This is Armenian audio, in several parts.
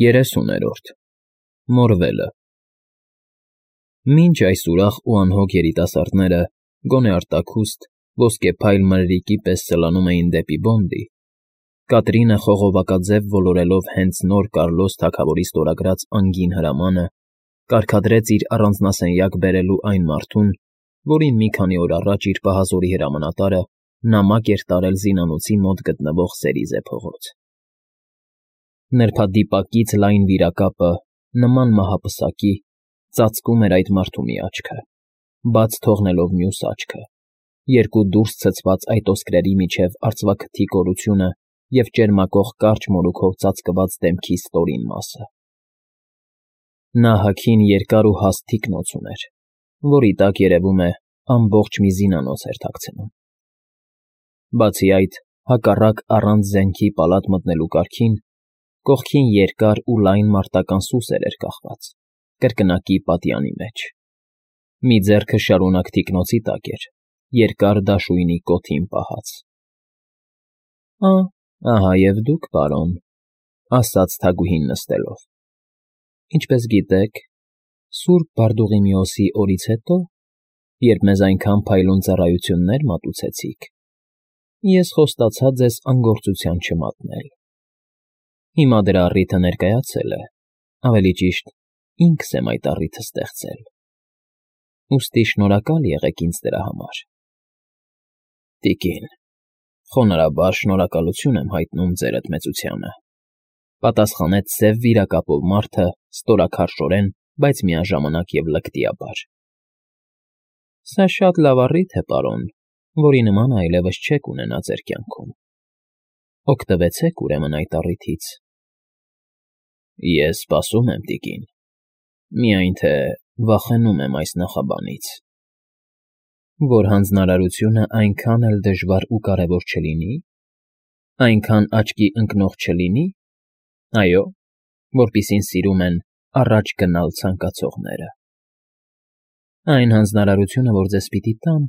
30-րդ Մորվելը Մինչ այս ուրախ ու անհոգ երիտասարդները, գոնե արտաքուստ, ոսկեփայլ մրրիկի պես սլանում էին դեպի Բոնդի, Կատրինը խողովակաձև ոլորելով հենց նոր Կարլոս թագավորի ստորագրած անգին հրամանը, կարգադրեց իր առանձնասենյակ բերելու այն մարդուն, որին մի քանի օր առաջ իր պահազորի հրամանատարը նամակ էր տարել զինանոցի մոտ գտնվող Սերիզե փողոց։ Նրբադիպակից լայն վիրակապը, նման մահապսակի, ծածկում էր այդ մարդու մի աչքը, բաց թողնելով մյուս աչքը, երկու դուրս ցցված այտոսկրերի միջև արծվաքթի կորությունը և ճերմակող կարճ մորուքով ծածկված դեմքի ստորին մասը։ Նա հագին երկար ու հաստ թիկնոց ուներ, որի տակ, երևում է, ամբողջ մի զինանոց էր թաքցնում։ Բացի այդ, հակառակ առանց զենքի պալատ մտնելու կարգին, կողքին երկար ու լայն մարտական սուսեր էր կախված, կրկնակի պատյանի մեջ։ Մի ձեռքը շարունակ թիկնոցի տակ էր, երկար դաշույնի կոթին պահած։ Ահա և դուք, պարոն, ասաց թագուհին նստելով։ Ինչպես գիտեք, Սուրբ Բարդուղիմեոսի օրից հետո, երբ մեզ այնքան փայլուն ծառայություններ մատուցեցիք, ես խոստացա ձեզ անգործության չմատնել։ Հիմա դրա առիթը ներկայացել է, ավելի ճիշտ, ինքս եմ այդ առիթը ստեղծել։ Ուստի շնորհակալ եղեք ինձ դրա համար։ Տիկին, խոնարհաբար շնորհակալություն եմ հայտնում ձերդ մեծությանը, պատասխանեց սև վիրակապով մարդը ստորաքարշորեն, բայց միաժամանակ և լկտիաբար։ Սա շատ լավ առիթ է, պարոն, որի նմանը այլևս չեք ունենա ձեր կյանքում։ Օգտվեցեք ուրեմն այդ առիթից։ Ես սպասում եմ, տիկին, միայն թե վախենում եմ այս նախաբանից։ Որ հանձնարարությունը այնքան էլ դժվար ու կարևոր չլինի, այնքան աչքի ընկնող չլինի, այո, որպիսին սիրում են առաջ գնալ ցանկացողները։ Այն հանձնարարությունը, որ ձեզ պիտի տամ,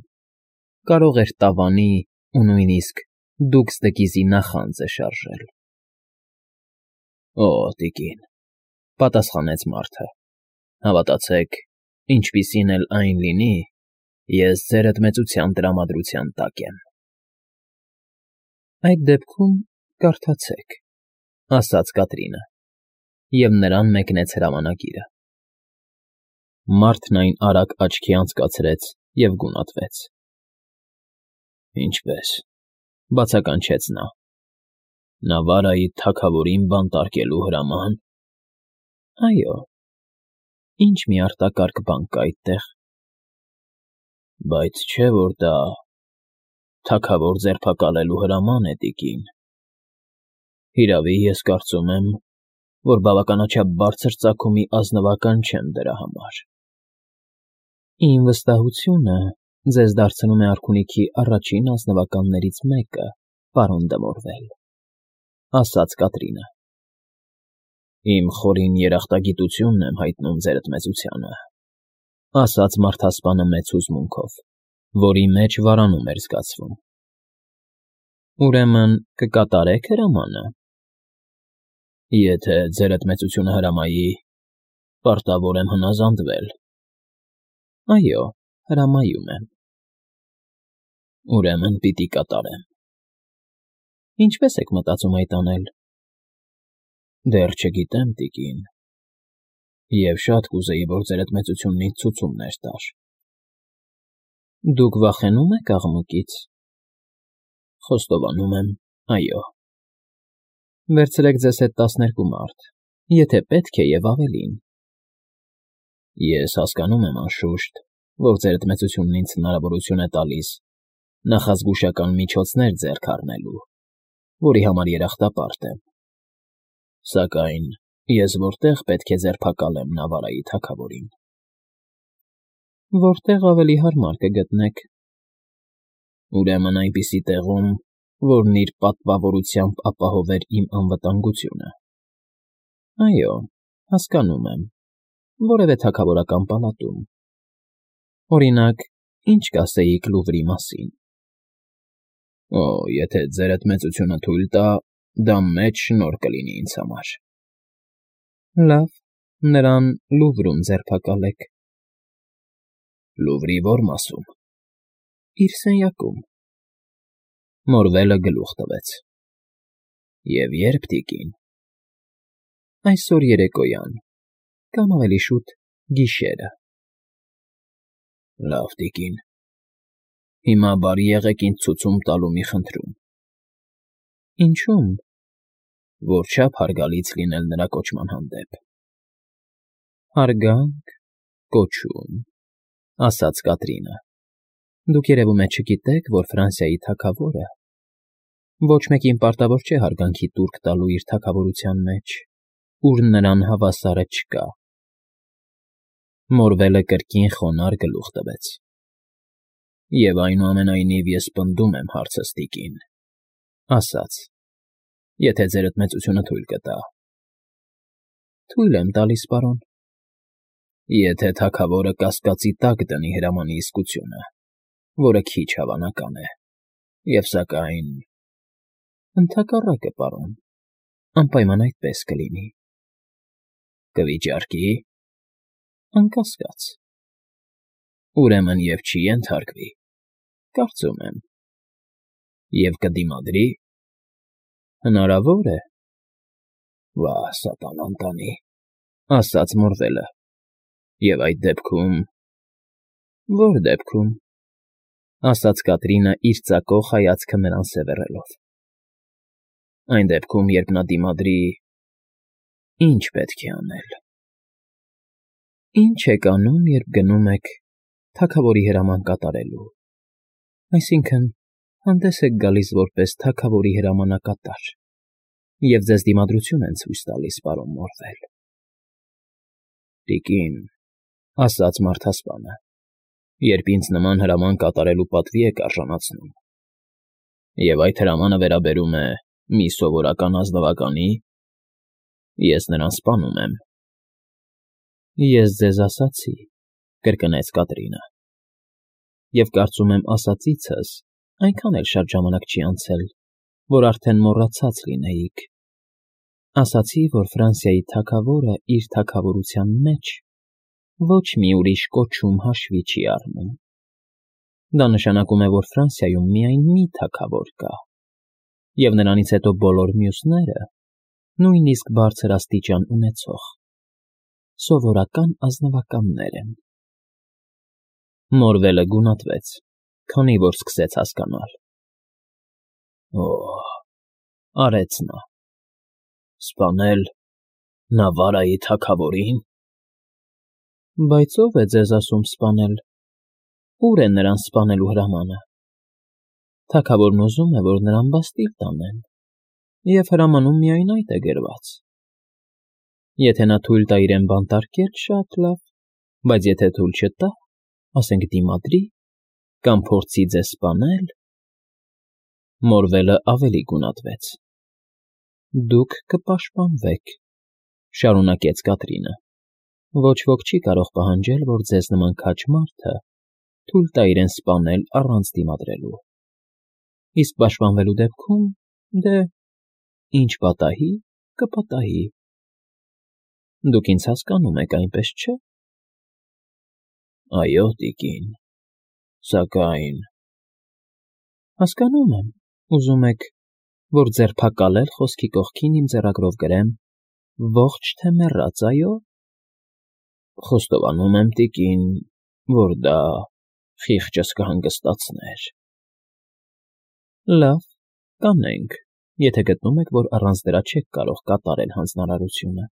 կարող էր տավանի ու նույնիսկ դուքսդկիզի նախանձը շարժել։ Օ, տիկին, պատասխանեց մարդը, հավատացեք, ինչպիսին էլ այն լինի, ես ձերդ մեծության տրամադրության տակ եմ։ Այդ դեպքում կարդացեք, ասաց Կատրինը, և նրան մեկնեց հրամանագիրը։ Մարդն այն արագ աչքի անցկացրեց և գունատվեց։ Ինչպե՞ս, բացականչեց նա։ Նավարայի թագավորին բանտարկելու հրաման։ Այո, ինչ մի արտակարգ բան կա այդտեղ։ Բայց չէ՞ որ դա թագավոր ձերբակալելու հրաման է, տիկին։ Հիրավի, ես կարծում եմ, որ բավականաչափ բարձր ծագումի ազնվական չեմ դրա համար։ Իմ վստահությունը ձեզ դարձնում է արքունիքի առաջին ազնվականներից մեկը, պարոն դը Մորվել, ասաց Կատրինը։ Իմ խորին երախտագիտությունն եմ հայտնում ձերդ մեծությանը, ասաց մարդասպանը մեծ հուզմունքով, որի մեջ վարանում էր զգացվում։ Ուրեմն կկատարեք հրամանը։ Եթե ձերդ մեծությունը հրամայի, պարտավոր եմ հնազանդվել։ Այո, հրամայում եմ։ Ուրեմն պիտի կատարեմ։ Ինչպե՞ս եք մտածում այդ անել։ Դեռ չգիտեմ, տիկին, և շատ կուզեի, որ ձերդ մեծությունն ինձ ցուցումներ տար։ Դուք վախենո՞ւմ եք աղմուկից։ Խոստովանում եմ, այո։ Վերցրեք ձեզ հետ 12 մարդ, եթե պետք է և ավելին։ Ես հասկանում եմ, անշուշտ, որ ձերդ մեծությունն ինձ հնարավորություն է տալիս նախազգուշական միջոցներ ձեռք առնելու, որի համար երախտապարտ եմ։ Սակայն ես որտեղ պետք է ձերբակալեմ Նավարայի թագավորին։ Որտեղ ավելի հարմար կգտնեք։ Ուրեմն այնպիսի տեղում, որն իր պատվավորությամբ ապահովեր իմ անվտանգությունը։ Այո, հասկանում եմ, որևէ թագավորական պալատում։ Օրինակ, ինչ կասեիք Լուվրի մասին։ Օ, եթե ձերդ մեծությունը թույլ տա, դա մեծ շնորհ կլինի ինձ համար։ Լավ, նրան Լուվրում ձերբակալեք։ Լուվրի ո՞ր մասում։ Իր սենյակում։ Մորվելը գլուխ տվեց։ Եվ ե՞րբ, տիկին։ Այսօր երեկոյան, կամ ավելի շուտ գիշերը։ Լավ, տիկին։ Հիմա բարի եղեք ինձ ցուցում տալու մի խնդրում։ Ինչու՞մ։ Որչափ հարգալից լինել նրա կոչման հանդեպ։ Հարգանք, կոչում, ասաց Կատրինը։ Դուք երևում է չգիտեք, որ Ֆրանսիայի թագավորը ոչ մեկին պարտավոր չէ հարգանքի տուրք տալու իր թագավորության մեջ, ուր նրան հավասարը չկա։ Մորվելը կրկին խոնարհ գլուխ տվեց։ Եվ այնուամենայնիվ ես պնդում եմ հարցս, տիկին, ասաց. եթե ձերդ մեծությունը թույլ կտա։ Թույլ եմ տալիս, պարոն։ Եթե թագավորը կասկածի տակ դնի հրամանի իսկությունը, որը քիչ հավանական է, եւ սակայն… Ընդհակառակը, պարոն, անպայման այդպես կլինի։ Կվիճարկի։ Անկասկած։ Ուրեմն եւ չի ենթարկվի։ Կարծում եմ։ Եվ կդիմադրի։ Հնարավոր է։ Վա, սատանան տանի, ասաց Մորվելը։ Եվ այդ դեպքում… Ո՞ր դեպքում, ասաց Կատրինը իր ծակող հայացքը նրան սևեռելով։ Այն դեպքում, երբ նա դիմադրի… Ինչ պետք է անել։ Ինչ եք անում, երբ գնում եք թագավորի հրաման կատարելու։ Այսինքն, հանդես եք գալիս որպես թագավորի հրամանակատար, և ձեզ դիմադրություն են ցույց տալիս, պարոն Մորվել։ Տիկին, ասաց մարդասպանը, երբ ինձ նման հրաման կատարելու պատվի եք արժանացնում, և այդ հրամանը վերաբերում է մի սովորական ազնվականի, ես նրան սպանում եմ։ Ես ձեզ ասացի, կրկնեց Կատրինը, և կարծում եմ ասածիցս այնքան էլ շատ ժամանակ չի անցել, որ արդեն մոռացած լինեիք։ Ասացի, որ Ֆրանսիայի թագավորը իր թագավորության մեջ ոչ մի ուրիշ կոչում հաշվի չի առնում։ Դա նշանակում է, որ Ֆրանսիայում միայն մի թագավոր կա, և նրանից հետո բոլոր մյուսները նույնիսկ բարձր աստիճան ունեցող սովորական ազնվականներ են։ Մորվելը գունատվեց, քանի որ սկսեց հասկանալ։ Օհ, արեց նա։ Սպանել Նավարայի թագավորին։ Բայց ո՞վ է ձեզ ասում սպանել։ Ո՞ւր է նրան սպանելու հրամանը։ Թագավորն ուզում է, որ նրան բաստիլ տանեն, և հրամանում միայն այդ է գրված։ Եթե նա թույլ տա իրեն բանտարկել, շատ լավ, բայց եթե թույլ չտա, ասենք դիմադրի, կամ փորձի ձեզ սպանել… Մորվելը ավելի գունատվեց։ Դուք կպաշտպանվեք, շարունակեց Կատրինը։ Ոչ ոք չի կարող պահանջել, որ ձեզ նման քաջ մարդը թույլ տա իրեն սպանել առանց դիմադրելու։ Իսկ պաշտպանվելու դեպքում, դե, ինչ պատահի, կպատահի։ Դուք ինձ հասկանում եք, այնպես չէ՞։ Այո, տիկին, սակայն… Հասկանում եմ, ուզում եք, որ ձերբակալել խոսքի կողքին իմ ձեռագրով գրեմ ողջ թե մեռած, այո։ Խոստովանում եմ, տիկին, որ դա խիղճս կհանգստացներ։ Լավ, կանենք, եթե գտնում եք, որ առանց դրա չեք կարող կատարել հանձնարարությունը։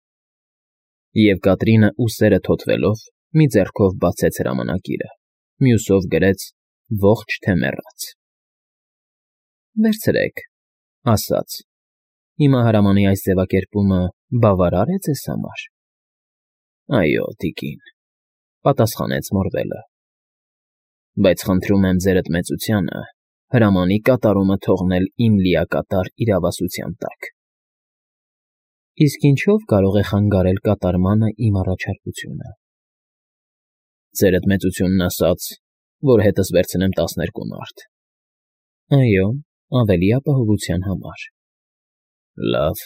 Եվ Կատրինը ուսերը թոթվելով մի ձեռքով բացեց հրամանակիրը, մյուսով գրեց ողջ թե մեռած։ Վերցրեք, ասաց. Հիմա հրամանի այս ձևակերպումը բավարար է ձեզ համար։ Այո, տիկին, պատասխանեց Մորվելը։ Բայց խնդրում եմ ձերդ մեծությանը հրամանի կատարումը թողնել իմ լիակատար իրավասության տակ։ Իսկ ինչով կարող է խանգարել կատարմանը իմ առաջարկությունը։ Ձերդ մեծությունն ասաց, որ հետս վերցնեմ 12 մարդ։ Այո, ավելի ապահովության համար։ Լավ,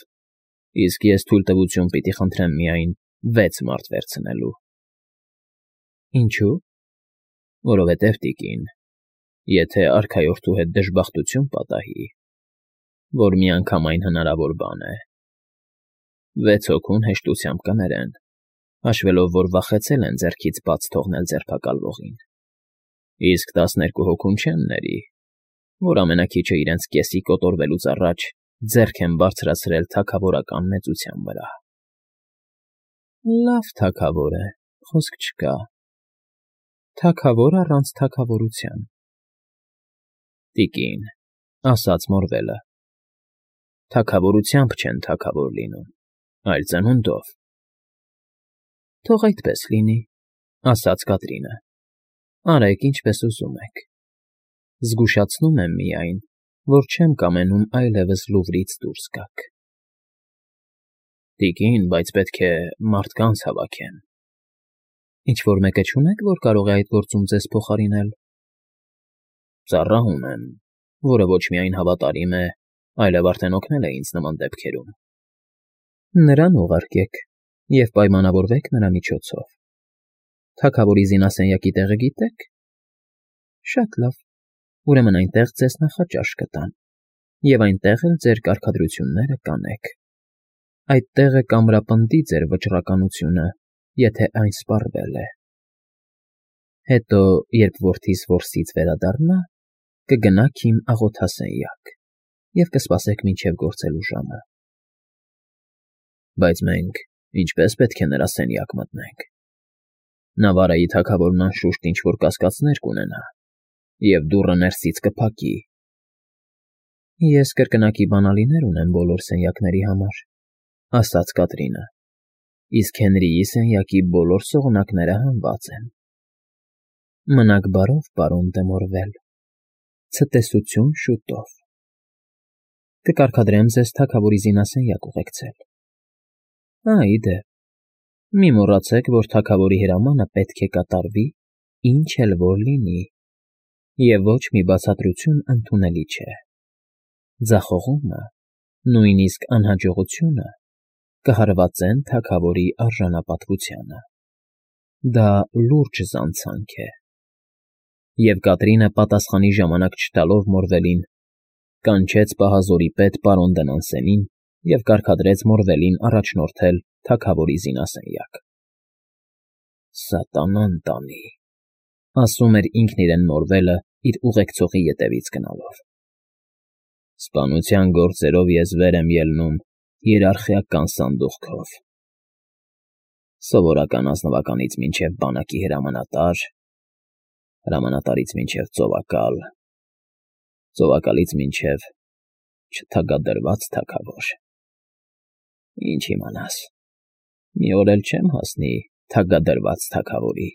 Իսկ ես թույլտվություն պիտի խնդրեմ միայն 6 մարդ վերցնելու։ Ինչու՞։ Որովհետև, տիկին, եթե արքայորդու հետ դժբախտություն պատահի, որ միանգամայն հնարավոր բան է, 6 հոգուն հեշտությամբ կներեն, հաշվելով, որ վախեցել են ձեռքից բաց թողնել ձերբակալվողին, իսկ 12 հոգուն չեն ների, որ ամենաքիչը իրենց կեսի կոտորվելուց առաջ ձեռք են բարձրացրել թագավորական մեծության վրա։ Լավ թագավոր է, խոսք չկա։ Թագավոր առանց թագավորության։ Տիկին, ասաց Մորվելը, թագավորությամբ չեն թագավոր լինում, այլ ծնունդով։ Թող այդպես լինի, ասաց Կատրինը, արեք ինչպես ուզում եք։ Զգուշացնում եմ միայն, որ չեմ կամենում այլևս Լուվրից դուրս գաք։ Տիկին, բայց պետք է մարդկանց հավաքեմ։ Ինչ-որ մեկը չունեք, որ կարող է այդ գործում ձեզ փոխարինել։ Ծառահում եմ, որը ոչ միայն հավատարիմ է, այլև արդեն օգնել է ինձ նման դեպքերում։ Նրան ուղարկեք և պայմանավորվեք նրա միջոցով։ Թագավորի զինասենյակի տեղը գիտեք։ Շատ լավ, ուրեմն այնտեղ ձեզ նախաճաշ կտան, և այնտեղ էլ ձեր կարգադրությունները կանեք։ Այդ տեղը կամրապնդի ձեր վճռականությունը, եթե այն սպառվել է։ Հետո, երբ որդիս որսից վերադառնա, կգնաք իմ աղոթասենյակ և կսպասեք մինչև գործելու ժամը։ Բայց մենք ինչպես պետք է նրա սենյակ մտնենք։ Նավարայի թագավորն անշուշտ ինչ-որ կասկածներ կունենա, և դուռը ներսից կփակի։ Ես կրկնակի բանալիներ ունեմ բոլոր սենյակների համար, ասաց Կատրինը, իսկ Հենրիի սենյակի բոլոր սողնակները հանված են։ Մնաք բարով, պարոն դե Մորվել, ցտեսություն շուտով։ Կկարգադրեմ ձեզ թագավորի զինասենյակ ուղեկցել։ Ի դեպ, մի մոռացեք, որ թագավորի հրամանը պետք է կատարվի, ինչ էլ որ լինի, և ոչ մի բացատրություն ընդունելի չէ։ Ձախողումը, նույնիսկ անհաջողությունը կհարվածեն թագավորի արժանապատվությանը։ Դա լուրջ զանցանք է։ Եվ Կատրինը պատասխանի ժամանակ չտալով Մորվելին, կանչեց պահազորի պետ պարոն Դնանսենին և կարգադրեց Մորվելին առաջնորդել թագավորի զինասենյակ։ Սատանան տանի, ասում էր ինքն իրեն Մորվելը իր ուղեկցողի ետևից գնալով։ Սպանության գործերով ես վեր եմ ելնում հիերարխիական սանդուղքով։ Սովորական ազնվականից մինչև բանակի հրամանատար, հրամանատարից մինչև ծովակալ, ծովակալից մինչև չթագադրված թագավոր։ Ինչ իմանաս, մի օր էլ չեմ հասնի թագադրված թագավորի։